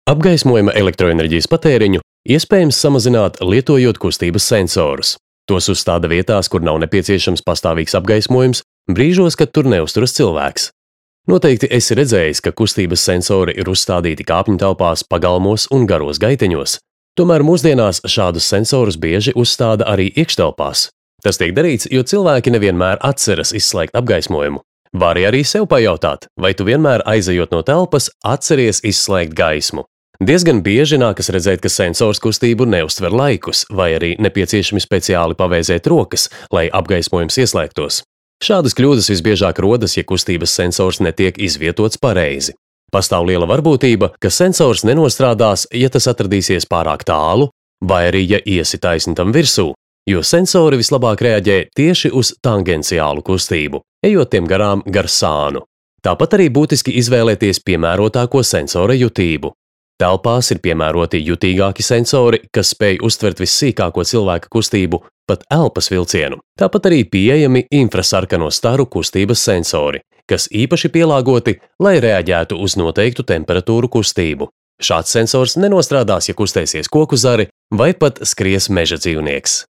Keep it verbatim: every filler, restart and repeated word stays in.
Apgaismojuma elektroenerģijas patēriņu iespējams samazināt, lietojot kustības sensorus. Tos uzstāda vietās, kur nav nepieciešams pastāvīgs apgaismojums, brīžos, kad tur neuzturas cilvēks. Noteikti esi redzējis, ka kustības sensori ir uzstādīti kāpņu telpās, pagalmos un garos gaiteņos. Tomēr mūsdienās šādus sensorus bieži uzstāda arī iekštelpās. Tas tiek darīts, jo cilvēki nevienmēr atceras izslēgt apgaismojumu. Vari arī sev pajautāt, vai tu vienmēr aizejot no telpas atceries izslēgt gaismu. Diezgan bieži nākas redzēt, ka sensors kustību neuztver laikus, vai arī nepieciešami speciāli pavēzēt rokas, lai apgaismojums ieslēgtos. Šādas kļūdas visbiežāk rodas, ja kustības sensors netiek izvietots pareizi. Pastāv liela varbūtība, ka sensors nenostrādās, ja tas atradīsies pārāk tālu, vai arī ja iesi taisni tam virsū, jo sensori vislabāk reaģē tieši uz tangenciālu kustību, ejot tiem garām gar sānu. Tāpat arī būtiski izvēlēties piemērotāko sensora jutību. Telpās ir piemēroti jutīgāki sensori, kas spēj uztvert vissīkāko cilvēka kustību, pat elpas vilcienu. Tāpat arī pieejami infrasarkano staru kustības sensori, kas īpaši pielāgoti, lai reaģētu uz noteiktu temperatūru kustību. Šāds sensors nenostrādās, ja kustēsies koku zari vai pat skries meža dzīvnieks.